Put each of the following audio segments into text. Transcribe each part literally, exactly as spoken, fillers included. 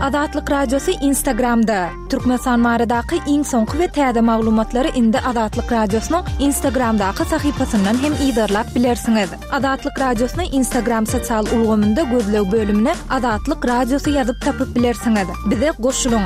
Azatlyk Radiosy Instagramda. Türkmenistan baradaky iň soňky we täze maglumatlary indi Azatlyk Radiosynyň Instagramdaky sahypasyndan hem yzarlap bilersiňiz. Azatlyk Radiosyny Instagram sosial ulgamynda gözleg bölümine Azatlyk Radiosy ýazyp tapyp bilersiňiz. Bize goşulyň.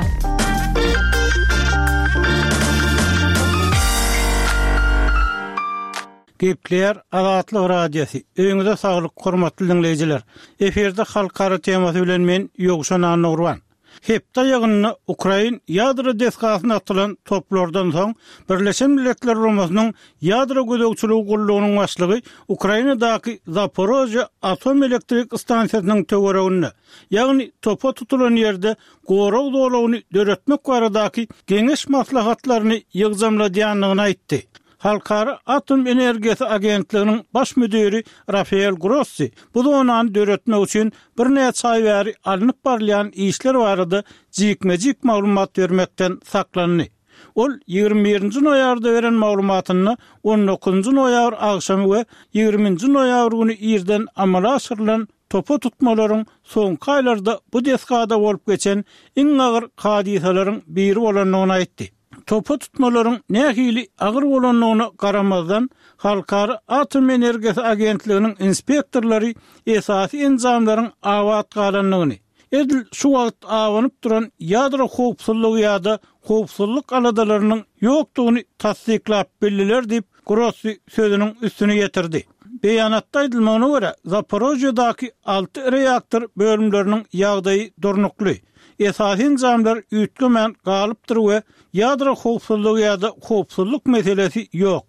Gepleýär Azatlyk Radiosy. Öýüňize saglyk, hormatly diňleýjiler. Efirde halkara temasy bilen men Ýowşan Annagurban. Hepde aýagynda ukrain ýadro desgasyna atylan toplardan soň Birleşen Milletler Guramasynyň Ýadro gözegçiligi gullugynyň başlygy Ukrainadaky Zaporožýe atom elektrik stansiýasynyň töwereginde, ýagny topa tutulan ýerde gorag zolagyny döretmek baradaky geňeş maslahatlaryny ýygjamladýandygyny aýtdy. Halkara atom energiýasy agentliginiň baş müdiri Rafael Grossi bu zonany döretmek üçin birnäçe aý bäri alnyp barylýan işler barada jikme-jik maglumat bermekden saklandy. Ol ýigrimi birinji noýabrda beren maglumatynda on dokuzynjy noýabr agşamy we ýigriminji noýabr güni irden amala aşyrylan topa tutmalaryň soňky aýlarda bu desgada bolup geçen iň agyr hadysalaryň biri bolandygyny aýtdy. Topa tutmalaryň nähili agyr bolandygyna garamazdan, Halkara atom energiýasy agentliginiň inspektorlary esasy enjamlaryň abat galandygyny, edil şu wagt abanyp duran ýadro howpsuzlygy ýa-da howpsuzlyk aladalarynyň ýokdugyny tassyklap bildiler diýip, Grossi sözüniň üstüni ýetirdi. Beýanatda aýdylmagyna görä, Zaporožýedaky alty reaktor bölümleriniň ýagdaýy durnukly, esasy enjamlar üýtgemän galypdyr we ýadro howpsuzlygy ýa-da howpsuzlyk meselesi ýok.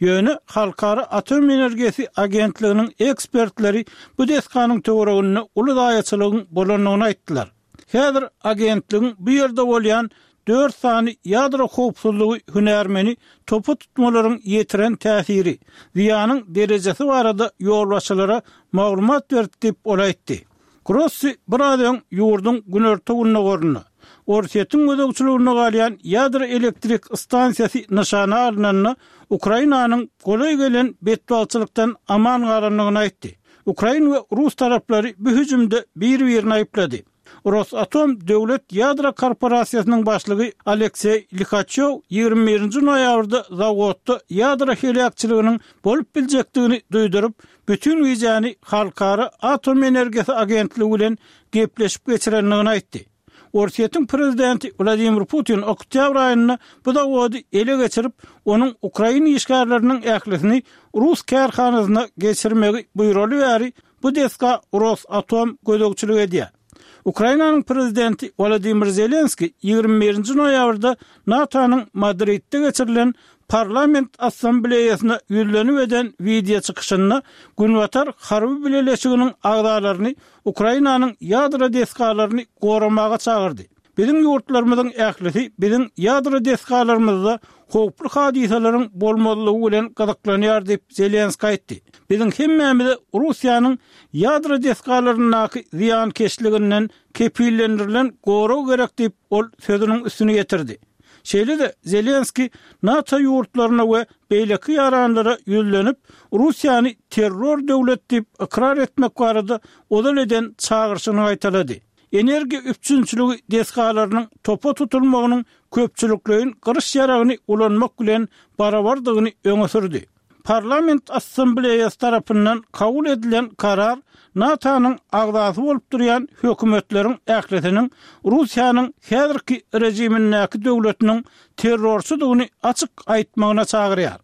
Ýöne Halkara atom energiýasy agentliginiň ekspertleri bu desganyň töwereginde uly zaýaçylygyň bolandygyny aýtdylar. Häzir agentligiň bu ýerde bolýan dört sany ýadro howpsuzlygy hünärmeni topa tutmalaryň ýetiren täsiri, zyýanyň derejesi barada ýolbaşçylara maglumat berdi diýip, ol aýtdy. Grossi biraz öň ýurduň günorta-gündogarynda, Orsýetiň gözegçiliginde galýan ýadro elektrik stansiýasy nyşana alnanda, Ukrainanyň golaý gelen betbagtçylykdan aman galandygyny aýtdy. Ukrain we rus taraplary bu hüjümde bir-birini aýyplady. Rosatom döwlet ýadro korporasiýasynyň başlygy Alekseý Lihaçýow ýigrimi birinji noýabrda zawodda ýadro heläkçiliginiň bolup biljekdigini duýduryp, bütin gijäni Halkara atom energiýasy agentligi bilen gepleşip geçirendigini aýtdy. Orsýetiň prezidenti Wladimir Putin oktýabr aýynda bu zawody ele geçirip, onuň ukrain işgärleriniň ählisini rus kärhanasyna geçirmegi buýraly bäri bu desga Rosatom gözegçilik edýär. Ukrainanyň prezidenti Wolodymyr Zelenskiý ýigrimi birinji noýabrda NATO-nyň Madridde geçirilen Parlament Assambleýasyna ýüzlenip eden wideo çykyşynda Günbatar harby bileleşiginiň agzalaryny Ukrainanyň ýadro desgalaryny goramaga çagyrdy. Biziň ýurtlarymyzyň ählisi biziň ýadro desgalarymyzda howply hadysalaryň bolmazlygy bilen gyzyklanýar diýip, Zelenskiý aýtdy. Biziň hemmämize Russiýanyň ýadro desgalaryndaky zyýankeşliginden kepillendirilen gorag gerek diýip, ol sözüniň üstüni ýetirdi. Şeýle-de Zelenskiý NATO ýurtlaryna we beýleki ýaranlara ýüzlenip, Russiýany terror döwlet diýip ykrar etmek barada ozal eden çagyryşyny gaýtalady. Energiýa üpjünçiligi desgalarynyň topa tutulmagynyň köpçülikleýin gyryş ýaragyny ulanmak bilen barabardygyny öňe sürdi. Parlament Assambleýasy tarapyndan kabul edilen karar NATO-nyň agzasy bolup durýan hökümetleriň ählisiniň Russiýanyň häzirki režimindäki döwletiniň terrorçydygyny açyk aýtmagyna çagyrýar.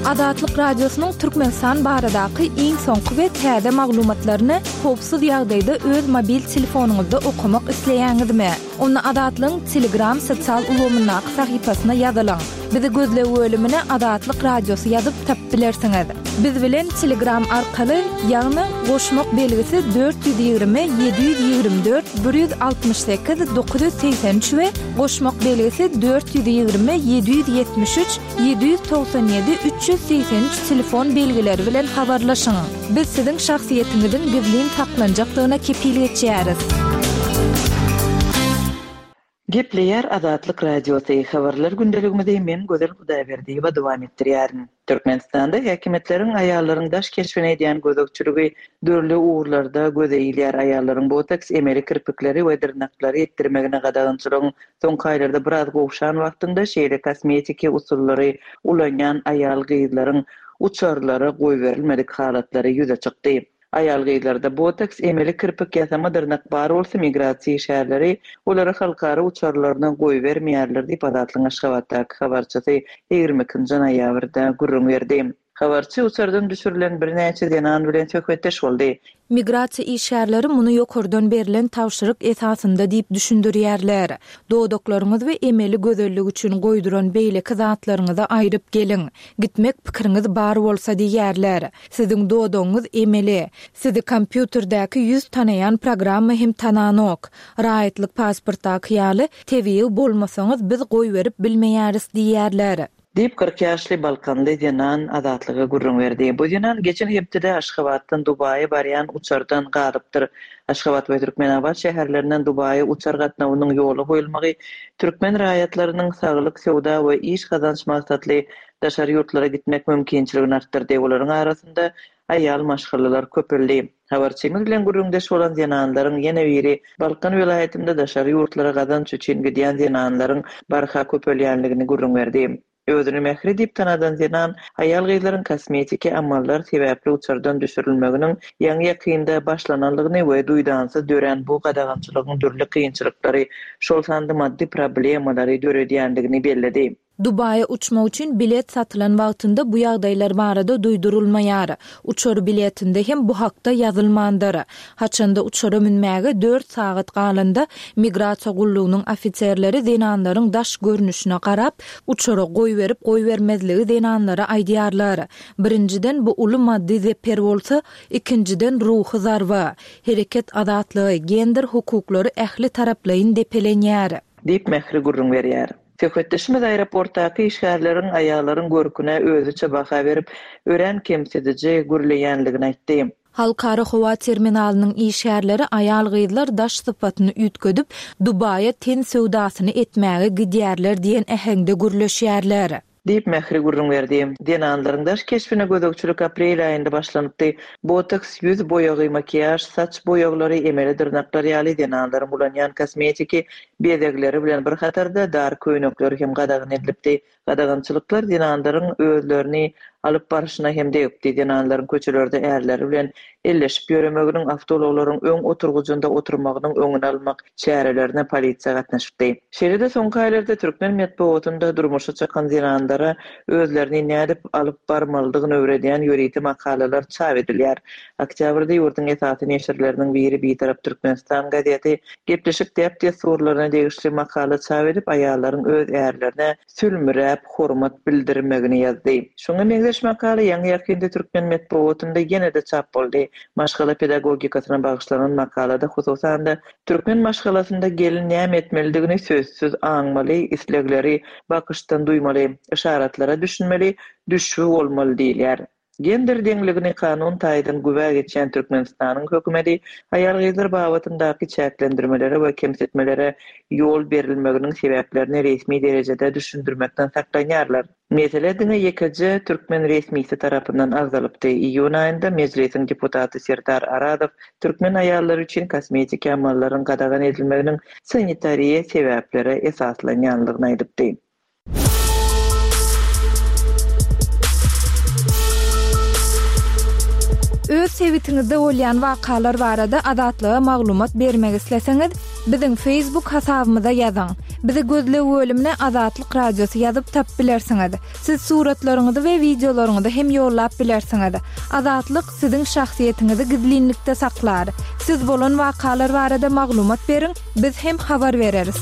Azatlyk Radiosynyň Türkmenistan baradaky iň soňky we täze maglumatlaryny howpsuz ýagdaýda öz mobil telefonyňyzda okamak isleýäňizmi? Onda Azatlygyň Telegram sosial ulgamyndaky sahypasyna ýazylyň. Bizi gözleg bölümine Azatlyk Radiosy ýazyp tapyp bilersiňiz. Biz bilen Telegram arkaly, ýagny goşmak belgisi dört ýüz ýigrimi ýedi ýüz ýigrimi dört bir ýüz altmyş sekiz dokuz ýüz segsen üç we goşmak belgisi dört ýüz ýigrimi ýedi ýüz ýetmiş üç ýedi ýüz togsan ýedi üç ýüz segsen üç telefon belgileri bilen habarlaşyň. Biz siziň şahsyýetiňiziň gizlin saklanjakdygyna kepil geçýäris. Gepleýär Azatlyk Radiosy, Habarlar gündeligimizi men Gözel Hudaýberdiýewa dowam etdirýärin. Türkmenistanda häkimiýetleriň aýallaryň daş keşbine edýän gözegçiligi dürli ugurlarda göze ilýär. Aýallaryň botoks, emeli kirpikleri we dyrnaklary etdirmegine gadagançylygyň soňky aýlarda biraz gowşan wagtynda şeýle kosmetiki usullary ulanýan aýal-gyzlaryň uçarlara goýberilmedik halatlary ýüze çykdy. Aýal-gyzlarda botoks, emeli kirpik, ýasama dyrnak bar bolsa, migrasiýa işgärleri olary halkara uçarlaryna goýbermeýärler diýip, Azatlygyň Aşgabatdaky habarçysy ýigrimi ikinji noýabrda gürrüň berdi. Habarçy uçardan düşürilen birnäçe zenan bilen söhbetdeş boldy. Migrasiýa işgärleri muny ýokardan berlen tabşyryk esasynda diýip düşündirýärler. Dodaklaryňyz we emeli gözellik üçin goýduran beýleki zatlaryňyzy aýryp geliň. Gitmek pikiriňiz bar bolsa diýýärler. Siziň dodagyňyz emeli. Sizi kompýuterdäki ýüz tanaýan programma hem tananok. Raýatlyk pasportdaky ýaly tebigy bolmasaňyz biz goýberip bilmeýäris diýýärler. Diýip, kyrk ýaşly balkanly zenan Azatlyga gürrüň berdi. Bu zenan geçen hepdede Aşgabatdan Dubaýa barýan uçardan galypdyr. Aşgabat we Türkmenabat şäherlerinden Dubaýa uçar gatnawynyň ýola goýulmagy türkmen raýatlarynyň saglyk, söwda we iş gazanç maksatly daşary ýurtlara gitmek mümkinçiligini artdyrdy. Olaryň arasynda aýal maşgalalar köpeldi. Habarçymyz bilen gürrüňdeş bolan zenanlaryň ýene biri Balkan welaýatynda daşary ýurtlara gazanç üçin gidýän zenanlaryň barha köpelýänligini gürrüň berdi. Özüni Mähri diýip tanadan zenan aýal-gyzlaryň kosmetiki amallar sebäpli uçardan düşürilmeginiň ýaňy-ýakynda başlananlygyny we duýdansyz dörän bu gadagançylygyň dürli kynçylyklary, şol sanda maddy problemalary döredýändigini belledi. Dubaýa uçmak üçin bilet satylan wagtynda bu ýagdaýlar barada duýdurylmaýar. Uçar biletinde hem bu hakda ýazylmandyr. Haçanda uçara münmäge dört sagat galanda migrasiýa gullugynyň ofiserleri zenanlaryň daş görnüşine garap, uçara goýberip goýbermezligi zenanlara aýdýarlar. Birinjiden bu uly maddy zeper bolsa, ikinjiden ruhy zarba. Hereket azatlygy, gender hukuklary ähli taraplaýyn depelenýär. Diýip Mähri gürrüň berýär. Söhbetdeşimiz aeroportdaky işgärleriň aýallaryň görküne özüçe baha berip, örän kemsidiji gürleýänligini aýtdy. Halkara howa terminalynyň işgärleri aýal-gyzlar daş sypatyny üýtgedip, Dubaýa ten söwdasyny etmäge gidýärler diýen äheňde gürleşýärler. Diýip Mähri gürrüň berdi. Zenanlaryň daş keşbine gözegçilik aprel aýynda başlanypdy. Botoks, ýüz boýagy, makiýaž, saç boýaglary, emeli dyrnaklar ýaly zenanlaryň ulanýan kosmetiki bezegleri bilen bir hatarda dar köýnekleri hem gadagan edilipdi. Gadagançylyklar zenanlaryň özlerini alyp baryşyna hem degipdi. Zenanlaryň köçelerde ärleri bilen elleşip ýöremeginiň, awtoulaglaryň öň oturgyjynda oturmagynyň öňüni almak çärelerine polisiýa gatnaşypdy. Şeýle-de soňky aýlarda türkmen metbugatynda durmuşa çykan zenanlara özlerini nädip alyp barmalydygyny öwredýän ýörite makalalar çap edilýär. Oktýabrda ýurduň esasy neşirleriniň biri Bitarap Türkmenistan gazeti gepleşik däp-dessurlaryna degişli makala çap edip, aýallaryň öz ärlerine sülmüräp hormat bildirmegini ýazdy. Şoňa meňzeş makala ýaňy-ýakynda türkmen metbugatynda ýene-de çap boldy. Maşgala pedagogikasyna bagyşlanan makalada hususan-da türkmen maşgalasynda gelin näme etmelidigini sözsüz aňmaly, islegleri bakyşdan duýmaly, yşaratlara düşünmeli, düşbi bolmaly diýilýär. Gender deňligini kanun taýdan güwä geçýän Türkmenistanyň hökümeti aýal-gyzlar babatyndaky çäklendirmelere we kemsitmelere ýol berilmeginiň sebäplerini resmi derejede düşündirmekden saklanýarlar. Mesele diňe ýekeje türkmen resmisi tarapyndan agzalypdy. Iýun aýynda Mejlisiň deputaty Serdar Arazow türkmen aýallary üçin kosmetiki amallaryň gadagan edilmeginiň sanitariýa sebäplere esaslanýanlygyny aýdypdy. Öz sebitiňizde bolýan wakalar barada Azatlyga maglumat bermek isleseňiz, biziň Facebook hasabymyza ýazyň. Bizi gözleg bölümine Azatlyk Radiosy ýazyp tap bilersiňiz. Siz suratlaryňyzy we wideolaryňyzy hem ýollap bilersiňiz. Azatlyk siziň şahsyýetiňizi gizlinlikde saklar. Siz bolan wakalar barada maglumat beriň, biz hem habar bereris.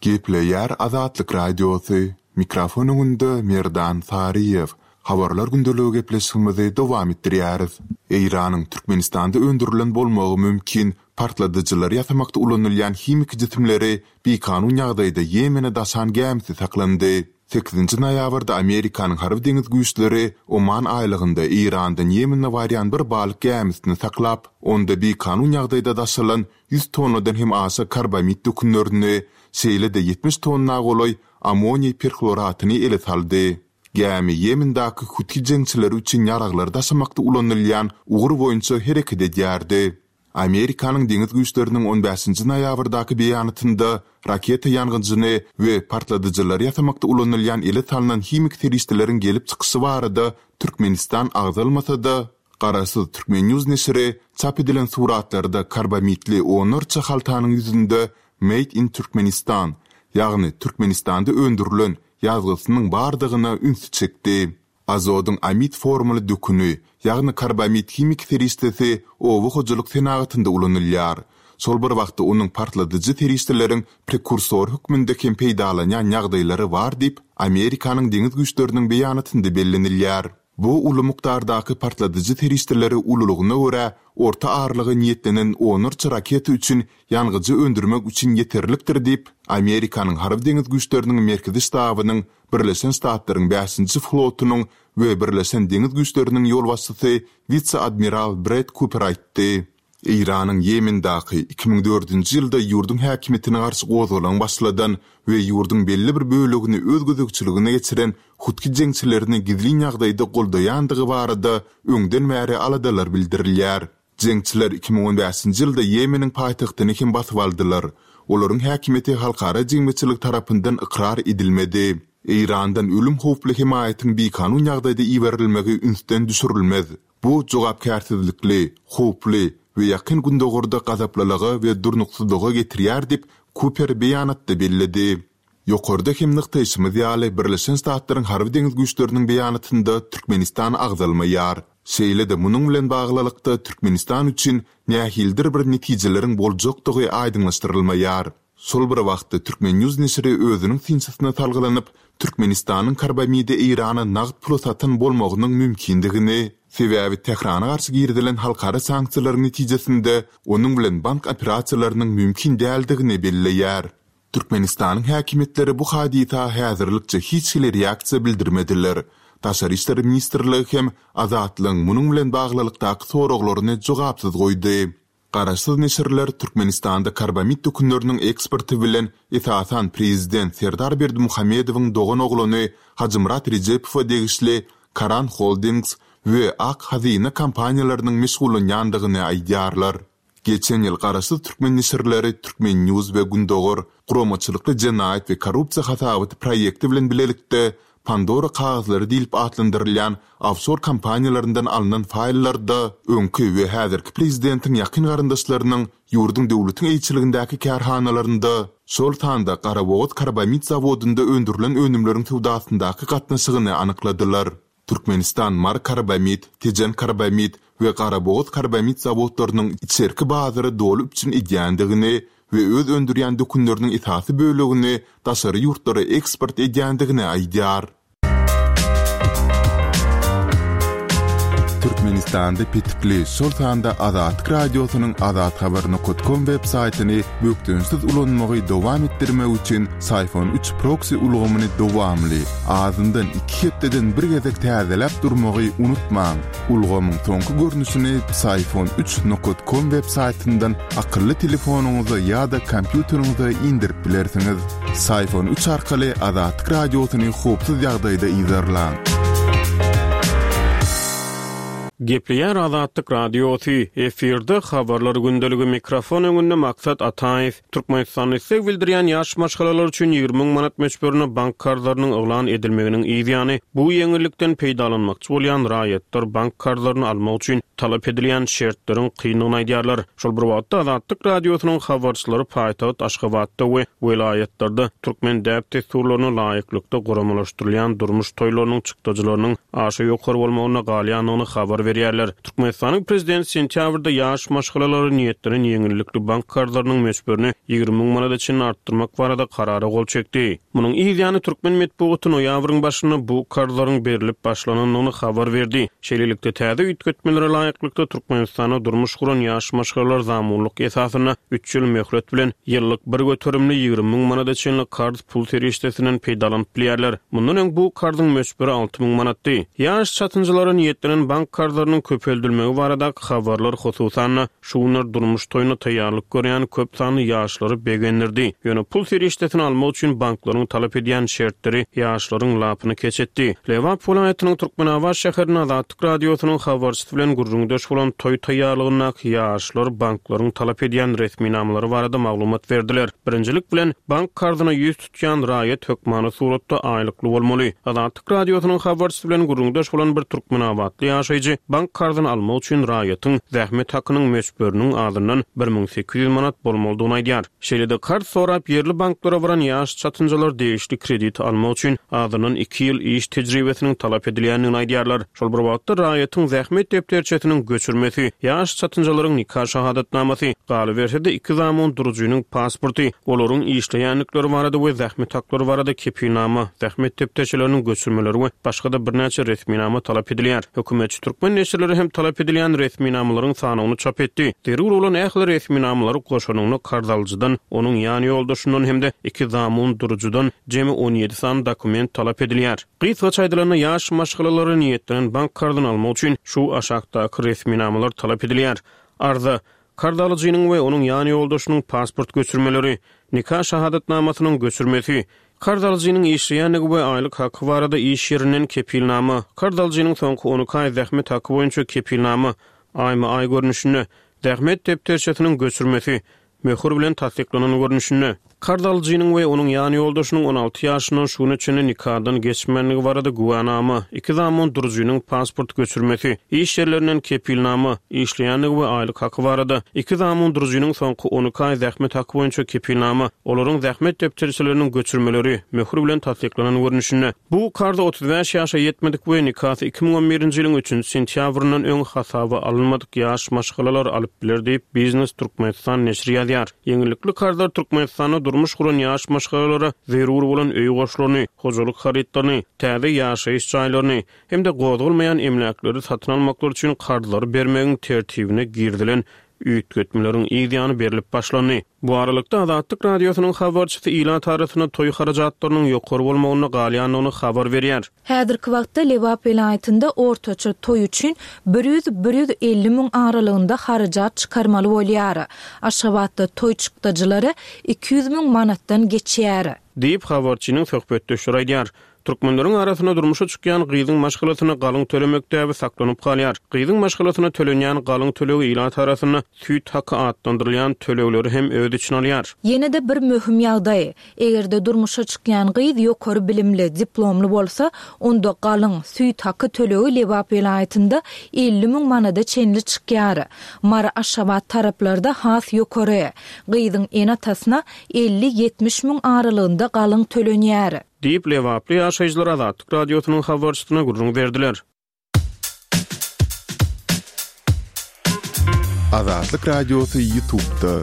Gepleýär Azatlyk Radiosy. Mikrofon öňünde Merdan Saryýew. Habarlar gündeligi gepleşigimizi dowam etdirýäris. Eýranyň Türkmenistanda öndürilen bolmagy mümkin partladyjylary ýasamakda ulanylýan himiki jisimleri bikanun ýagdaýda Ýemene daşan gämisi saklandy. Sekizinji noýabrda Amerikanyň harby-deňiz güýçleri Oman aýlagynda Eýrandan Ýemene barýan bir balyk gämisini saklap, onda bikanun ýagdaýda daşalan ýüz tonnadan hem aşa karbamid dökünlerini, şeýle-de ýetmiş tonna golaý ammoniý perhloratyny ele saldy. Gämi Ýemendäki huthi jeňçileri üçin ýaraglary daşamakda ulanylýan ugur boýunça hereket edýärdi. Amerikanyň deňiz güýçleriniň on bäşinji noýabrdaky beýanatynda raketa ýangyjyny we partladyjylary ýasamakda ulanylýan ele salnan himiki serişdeleriň gelip çykyşy barada Türkmenistan agzalmasa-da, garaşsyz Turkmen. News neşiri çap edilen suratlarda karbamitli onlarça haltanyň ýüzünde Made in Turkmenistan, ýagny Türkmenistanda öndürilen ýazgysynyň bardygyna ünsi çekdi. Azodyň amid formaly döküni, ýagny karbamid himiki serişdesi oba hojalyk senagatynda ulanylýar. Şol bir wagtda onuň partladyjy serişdeleriň prekursory hökmünde hem peýdalanýan ýagdaýlary bar diýip, Amerikanyň deňiz güýçleriniň beýanatynda bellenilýär. Bu uly mukdardaky partladyjy serişdeleri ululygyna görä orta aralyga niýetlenen onlarça raketa üçin ýangyjy öndürmek üçin ýeterlikdir diýip, Amerikanyň harby-deňiz güýçleriniň merkezi ştabynyň Birleşen Ştatlaryň bäşinji flotunyň we Birleşen deňiz güýçleriniň ýolbaşçysy wise-admiral Bred Kuper aýtdy. Eýranyň Ýemendäki iki müň dördünji ýylda ýurduň häkimiýetine garşy gozgalaň başladan we ýurduň belli bir bölegini öz gözegçiligine geçiren hutki jeňçilerini gizlin ýagdaýda goldaýandygy barada öňden bäri aladalar bildirilýär. Jeňçiler iki müň on bäşinji ýylda Ýemeniň paýtagtyny hem basyp aldylar. Olaryň häkimiýeti halkara jemgyýetçiligi tarapyndan ykrar edilmedi. Eýrandan ölüm howply hemaýatyň bikanun ýagdaýda iberilmegi ünsden düşürilmez. Bu jogapkärsizlikli, howply we Ýakyn Gündogarda gazaplylyga we durnuksyzlyga getirýär diýip, Kuper beýanatda belledi. Ýokarda hem nygtaýşymyz ýaly, Birleşen Ştatlaryň harby-deňiz güýçleriniň beýanatynda Türkmenistan agzalmaýar. Şeýle-de munuň bilen baglylykda Türkmenistan üçin nähilidir bir netijeleriň boljakdygy aýdyňlaşdyrylmaýar. Şol bir wagtda Turkmen. News neşiri özüniň synçysyna salgylanyp, Türkmenistanyň karbamidi Eýrana nagt pula satan bolmagynyň mümkindigini, sebäbi Tährana garşy girizilen halkara sanksiýalaryň netijesinde onuň bilen bank operasiýalarynyň mümkin däldigini belleýär. Türkmenistanyň häkimiýetleri bu hadysa häzirlikçe hiç hili reaksiýa bildirmediler. Daşary işler ministrligi hem Azatlygyň munuň bilen baglylykdaky soraglaryny jogapsyz goýdy. Garaşsyz neşirler Türkmenistanda karbamid dökünleriniň eksporty bilen esasan prezident Serdar Berdimuhamedowyň dogan oglany Hajymyrat Rejepowa degişli Karan Holdings we Ak Hazyna kompaniýalarynyň meşgullanýandygyny aýdýarlar. Geçen ýyl garaşsyz türkmen neşirleri Turkmen. News we Gündogar guramaçylykly jenaýat we korrupsiýa hasabaty proýekti bilen bilelikde Pandora kagyzlary diýlip atlandyrylýan ofşor kompaniýalaryndan alnan faýllarda öňki we häzirki prezidentiň ýakyn garyndaşlarynyň ýurduň döwletiň eýeçiligindäki kärhanalarynda, şol sanda Garabogaz karbamid zawodynda öndürilen önümleriň söwdasyndaky gatnaşygyny anykladylar. Türkmenistan Mary karbamid, Tejen karbamid we Garabogaz karbamid zawodlarynyň içerki bazary doly üpjün edýändigini we öz öndürýän dökünleriniň esasy bölegini daşary ýurtlara eksport edýändigini aýdýar. Türkmenistanda petikli, şol sanda Azatlyk Radiosynyň azathabar nokat kom web saýtyny bökdençsiz ulanmagy dowam etdirmek üçin Syfon üç proksi ulgamyny dowamly, azyndan iki hepdeden bir gezek täzeläp durmagy unutmaň. Ulgamyň soňky görnüşini Psiphon üç nokat kom web saýtyndan akylly telefonyňyza ýa-da kompýuteriňize indirip bilersiňiz. Psiphon üç arkaly Azatlyk Radiosyny howpsuz ýagdaýda yzarlaň. Gepleýär Azatlyk Radiosy, efirde habarlar gündeligi, mikrofon öňünde Maksat Ataýew. Türkmenistanda isleg bildirýän ýaş maşgalalar üçin ýigrimi müň manat möçberinde bank karzlarynyň yglan edilmeginiň yz ýany, bu ýeňillikden peýdalanmakçy bolýan raýatlar bank karzlaryny almak üçin talap edilýän şertleriň kyndygyny aýdýarlar. Şol bir wagtda Azatlyk Radiosynyň habarçylary paýtagt Aşgabatda we welaýatlarda türkmen däp-dessurlaryna laýyklykda guramalaşdyrylýan durmuş toýlarynyň çykdajylarynyň aşa ýokary bolmagyna galýandygyny habar berýärler. Türkmenistanyň prezidenti sentýabrda ýaş maşgalalara niýetlenen ýeňillikli bank karzlarynyň möçberini ýigrimi müň manada çenli artdyrmak barada karara gol çekdi. Munuň yz ýany türkmen metbugaty noýabryň başynda bu karzlaryň berilip başlanandygyny habar berdi. Şeýlelikde täze üýtgetmelere laýyklykda Türkmenistanda durmuş guran ýaş maşgalalar zamunlyk esasynda üç ýyl möhlet bilen ýyllyk bir göterimli ýigrimi müň manada çenli karz pul serişdesinden peýdalanyp bilýärler. Mundan öň bu karzyň möçberi alty müň manatdy. Ýaş çatynjalara niýetlenen bank karzlarynyň köpeldilmegi baradaky habarlar hususan-da şu günler durmuş toýuna taýýarlyk görýän köp sanly ýaşlary begendirdi. Ýöne pul serişdesini almak üçin banklaryň talap edýän şertleri ýaşlaryň lapyny keç etdi. Lebap welaýatynyň Türkmenabat şäherinde Azatlyk Radiosynyň habarçysy bilen gürrüňdeş bolan toý taýýarlygyndaky ýaşlar banklaryň talap edýän resminamalary barada maglumat berdiler. Birinjilik bilen bank karzyna ýüz tutýan raýat hökmany suratda aýlykly bolmaly. Azatlyk Radiosynyň habarçysy bilen gürrüňdeş bolan bir Türkmenabatly ýaşaýjy bank karzyny almak üçin raýatyň zähmet hakynyň möçberiniň azyndan bir müň sekiz ýüz manat bolmalydygyny aýdýar. Şeýle-de karz sorap ýerli banklara baran ýaş çatynjalar degişli krediti almak üçin azyndan iki ýyl iş tejribesiniň talap edilýändigini aýdýarlar. Şol bir wagtda raýatyň zähmet depderçesiniň göçürmesi, ýaş çatynjalaryň nika şahadatnamasy, galyberse-de iki zamun durujynyň pasporty, olaryň işleýändikleri barada we zähmet haklary barada kepilnama, zähmet depderçeleriniň göçürmeleri we başga-da birnäçe resminama talap edilýär. Hökümetçi türkmen neşirleri hem talap edilýän resminamalaryň sanawyny çap etdi. Zerur bolan ähli resminamalary goşanyny karz alyjydan, onuň ýan ýoldaşyndan hem-de iki zamun durujydan jemi on ýedi sany dokument talap edilýär. Gysgaça aýdylanda ýaş maşgalalara niýetlenen bank karzyny almak üçin şu aşakdaky resminamalar talap edilýär. Arza, karz alyjynyň we onuň ýan ýoldaşynyň pasport göçürmeleri, nika şahadatnamasynyň göçürmesi, karz alyjynyň işleýändigi we aýlyk haky barada iş ýerinden kepilnama, karz alyjynyň soňky on iki aý zähmet haky boýunça kepilnama, aýma-aý görnüşinde, zähmet depderçesiniň göçürmesi, möhür bilen tassyklanan görnüşinde, karz alyjynyň we onuň ýan ýoldaşynyň on alty ýaşyndan şu güne çenli nikadan geçmänligi barada güwänama, iki zamun durujynyň pasport göçürmesi, iş ýerlerinden kepilnama, işleýändigi we aýlyk haky barada, iki zamun durujynyň soňky on iki aý zähmet haky boýunça kepilnama, olaryň zähmet depderçeleriniň göçürmeleri, möhür bilen tassyklanan görnüşinde. Bu karzy otuz bäş ýaşa ýetmedik we nikasy iki müň on birinji ýylyň üçünji sentýabryndan öň hasaba alynmadyk ýaş maşgalalar alyp biler diýip Biznes Türkmenistan neşiri ýazýar. Ýeňillikli karzlar Türkmenistanda durmuş guran ýaş maşgalalara zerur bolan öý goşlaryny, hojalyk harytlaryny, täze ýaşaýyş jaýlaryny hem-de gozgalmaýan emläkleri satyn almaklar üçin karzlary bermegiň tertibine girizilen üýtgetmeleriň yz ýany berlip başlandy. Bu aralykda Azatlyk Radiosynyň habarçysy ilat arasynda toý harajatlarynyň ýokary bolmagyna galýandygyny habar berýär. Häzirki wagtda Lebap welaýatynda ortaça toý üçin bir ýüz, bir ýüz elli müň aralygynda harajat çykarmaly bolýar. Aşgabatda toý çykdajylary iki ýüz müň manatdan geçýär. Diýip habarçynyň söhbetdeşleri aýdýar. Türkmenleriň arasynda durmuşa çykýan gyzyň maşgalasyna galyň tölemek däbi saklanyp galýar. Gyzyň maşgalasyna tölenýän galyň tölegi ilat arasynda süýt haky atlandyrylýan tölegleri hem öz içine alýar. Ýene-de bir möhüm ýagdaý. Eger-de durmuşa çykýan gyz ýokary bilimli, diplomly bolsa, onda galyň süýt haky tölegi Lebap welaýatynda elli müň manada çenli çykýar. Mary Aşgabat taraplarda has ýokary. Gyzyň ene-atasyna elli ýetmiş müň aralygynda galyň tölenýär. Diýip Lebaply ýaşaýjylar Azatlyk Radiosynyň habarçysyna gürrüň berdiler. Azatlyk Radiosy YouTube'da.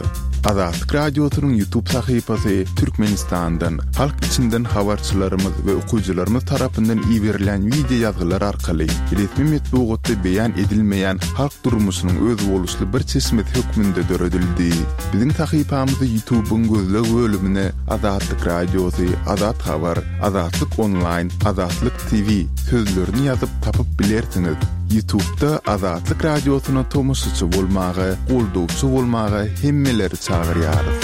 Azatlyk Radiosynyň YouTube sahypasy Türkmenistandan, halk içinden habarçylarymyz we okyjylarymyz tarapyndan iberilen video ýazgylar arkaly resmi metbugatda beýan edilmeýän halk durmuşynyň özboluşly bir çeşmesi hökmünde döredildi. Biziň sahypamyzy YouTube'yň gözleg bölümine Azatlyk Radiosy, Azat Habar, Azatlyk Online, Azatlyk T V sözlerini ýazyp tapyp bilersiňiz. YouTube'da Azatlyk Radiosyna tomaşaçy bolmaga, goldawçy bolmaga hemmeleri çagyrýarys.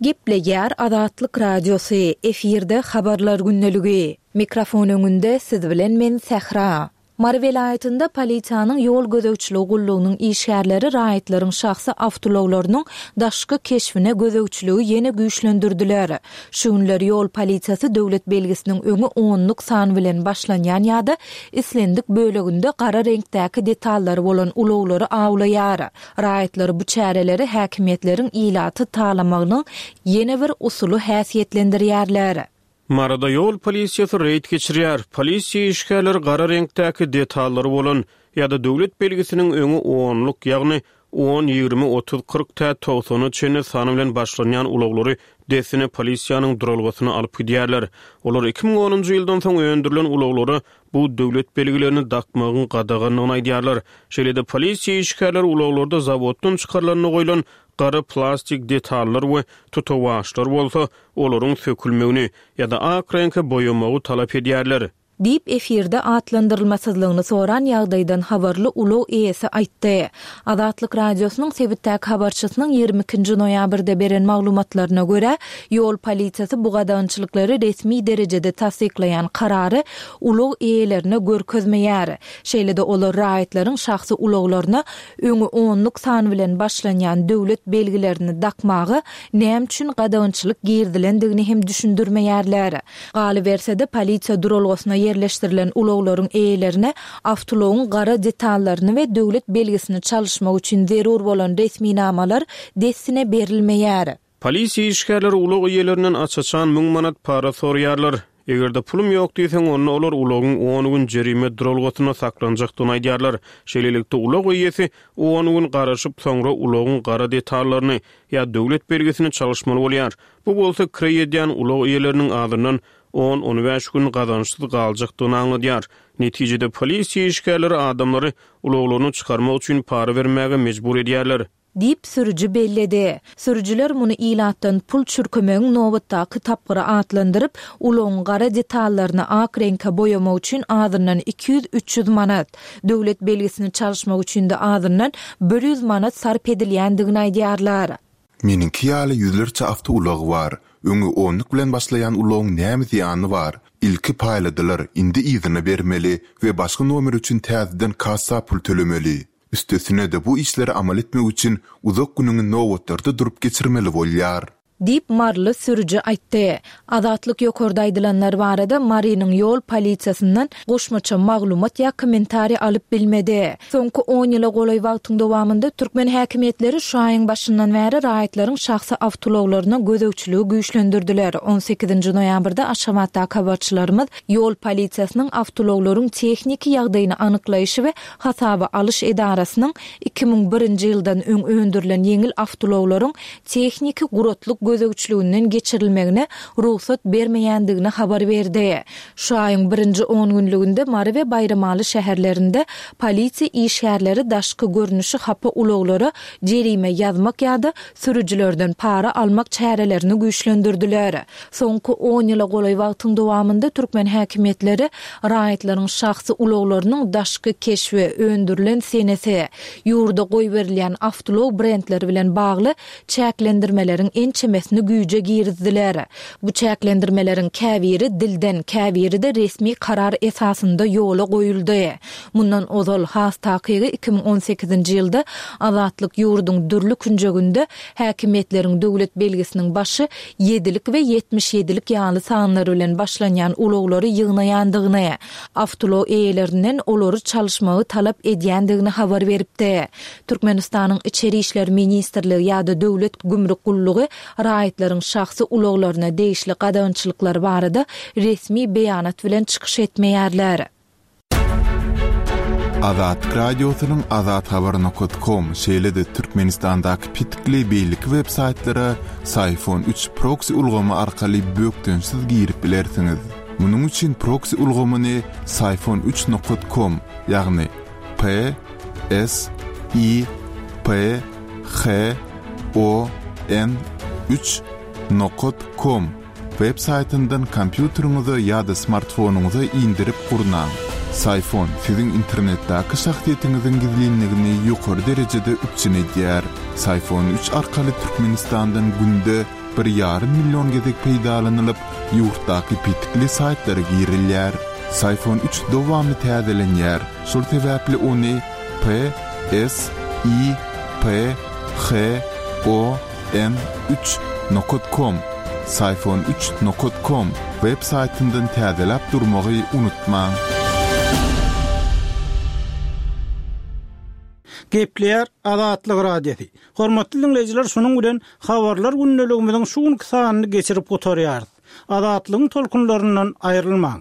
Gepleýär Azatlyk Radiosy, efirde habarlar gündeligi. Mikrofon öňünde siz bilen men Sähra. Mary welaýatynda polisiýanyň ýol gözegçiligi gullugynyň işgärleri raýatlaryň şahsy awtoulaglarynyň daşky keşbine gözegçiligi ýene güýçlendirdiler. Şu günler ýol polisiýasy döwlet belgisiniň öňi onluk san bilen başlanýan ýa-da islendik böleginde gara reňkdäki detallary bolan ulaglary awlaýar. Raýatlar bu çäreleri häkimiýetleriň ilaty talamagynyň ýene bir usuly häsiýetlendirýärler. Maryda ýol polisiýasy reýd geçirýär. Polisiýa işgärleri gara reňkdäki detallary bolan ýa-da döwlet belgisiniň öňi onluk, ýagny on, ýigrimi, otuz, kyrk tä togsana çenli sany bilen başlanýan ulaglary dessine polisiýanyň duralgasyna alyp gidýärler. Olar iki müň onunjy ýyldan soň öndürilen ulaglara bu döwlet belgilerini dakmagyň gadaganlygyny aýdýarlar. Şeýle-de polisiýa işgärleri ulaglarda zawoddan çykarylanda goýlan gara plastik detallar we tutawaçlar bolsa, olaryň sökülmegini ýa-da ak reňke boýamagy talap edýärler. Diýip, efirde atlandyrylmasyzlygyny soran ýagdaýdan habarly ulag eýesi aýtdy. Azatlyk Radiosynyň sebitdäki habarçysynyň ýigrimi ikinji noýabrda beren maglumatlaryna görä, ýol polisiýasy bu gadagançylyklary resmi derejede tassyklaýan karary ulag eýelerine görkezmeýär. Şeýle-de olar raýatlaryň şahsy ulaglaryna öňi onluk san bilen başlanýan döwlet belgilerini dakmaga näme üçin gadagançylyk girizilendigini hem düşündirmeýärler. Galyberse-de, polisiýa duralgasyna ýerleşdirilen ulaglaryň eýelerine awtoulagyň gara detallaryny we döwlet belgisini çalyşmak üçin zerur bolan resminamalar dessine berilmeýär. Polisiýa işgärleri ulag eýelerinden aç-açan müň manat para soraýarlar. Eger-de pulum ýok diýseň, onda olar ulagyň on gün jerime duralgasynda saklanjakdygyny aýdýarlar. Şeýlelikde, ulag eýesi on gün garaşyp, soňra ulagyň gara detallaryny ýa döwlet belgisini çalyşmaly bolýar. Bu bolsa kireý edýän ulag eýeleriniň azyndan on-on bäş gün gazançsyz galjakdygyny aňladýar. Netijede polisiýa işgärleri adamlary ulaglaryny çykarmak üçin para bermäge mejbur edýärler. Diýip, sürüji belledi. Sürüjiler muny ilatdan pul çürkemegiň nobatdaky tapgyry atlandyryp, ulagyň gara detallaryny ak reňke boýamak üçin azyndan iki ýüz-üç ýüz manat, döwlet belgisini çalyşmak üçin-de azyndan bir ýüz manat sarp edilýändigini aýdýarlar. Meniňki ýaly ýüzlerçe awtoulag bar. Öňi onluk bilen başlaýan ulagyň näme zyýany bar? Ilki paýladylar, indi yzyna bermeli we başga nomer üçin täzeden kassa pul tölemeli. Üstesine-de bu işleri amal etmek üçin uzak günüňi nobatlarda durup geçirmeli bolýar. Diýip, maryly sürüji aýtdy. Azatlyk ýokarda aýdylanlar barada Marynyň ýol polisiýasyndan goşmaça maglumat ýa kommentariý alyp bilmedi. Soňky on ýyla golaý wagtyň dowamynda türkmen häkimiýetleri şu aýyň başyndan bäri raýatlaryň şahsy awtoulaglaryna gözegçiligi güýçlendirdiler. On sekizinji noýabrda Aşgabatdaky habarçylarymyz ýol polisiýasynyň awtoulaglaryň tehniki ýagdaýyny anyklaýşy we hasaba alyş edarasynyň iki müň birinji ýyldan öň öndürilen ýeňil awtoulaglaryň tehniki guratlyk gözegçiliginden geçirilmegine rugsat bermeýändigini habar berdi. Şu aýyň birinji on günlüginde Mary we Baýramaly şäherlerinde polisiýa işgärleri daşky görnüşi hapa ulaglara jerime ýazmak ýa-da sürüjilerden para almak çärelerini güýçlendirdiler. Soňky on ýyla golaý wagtyň dowamynda türkmen häkimiýetleri raýatlaryň şahsy ulaglarynyň daşky keşbi, öndürilen senesi, ýurda goýberilýän awtoulag brendleri bilen bagly çäklendirmeleriň ençemesini güýje girizdiler. Bu çäklendirmeleriň käbiri dilden, käbiri-de resmi karar esasynda ýola goýuldy. Mundan ozal has takygy iki müň on sekizinji ýylda Azatlyk ýurduň dürli künjeginde häkimiýetleriň döwlet belgisiniň başy ýedilik we ýetmiş ýedilik ýaly sanlar bilen başlanýan ulaglary ýygnaýandygyny, awtoulag eýelerinden olary çalyşmagy talap edýändigini habar beripdi. Türkmenistanyň Içeri işler ministrligi ýa-da Döwlet gümrük gullugy raýatlaryň şahsy ulaglaryna degişli gadagançylyklar barada resmi beýanat bilen çykyş etmeýärler. Azatlyk Radiosynyň azathabar nokat kom, şeýle-de Türkmenistandaky petikli beýleki web-saýtlara Syfon üç proksi ulgamy arkaly bökdençsiz girip bilersiňiz. Munuň üçin proksi ulgamyny Syfon üç nokat kom, ýagny P S I P H O N üç nokat kom web saýtyndan kompýuteriňize ýa-da smartfonyňyza indirip gurnaň. Syfon siziň internetdäki şahsyýetiňiziň gizlinligini ýokary derejede üpjün edýär. Syfon üç arkaly Türkmenistandan günde bir ýarym million gezek peýdalanylyp, ýurtdaky petikli saýtlara girilýär. Syfon üç dowamly täzelenýär. Şol sebäpli ony P S I P H O N üç nokat kom, Syfon üç nokat kom web saýtyndan täzeläp durmagy unutmaň. Gepleýär Azatlyk Radiosy. Hormatly dinleýjiler, şunuň bilen habarlar gündeligimiziň şu günki sanyny geçirip gutarýarys. Azatlygyň tolkunlaryndan aýrylmaň.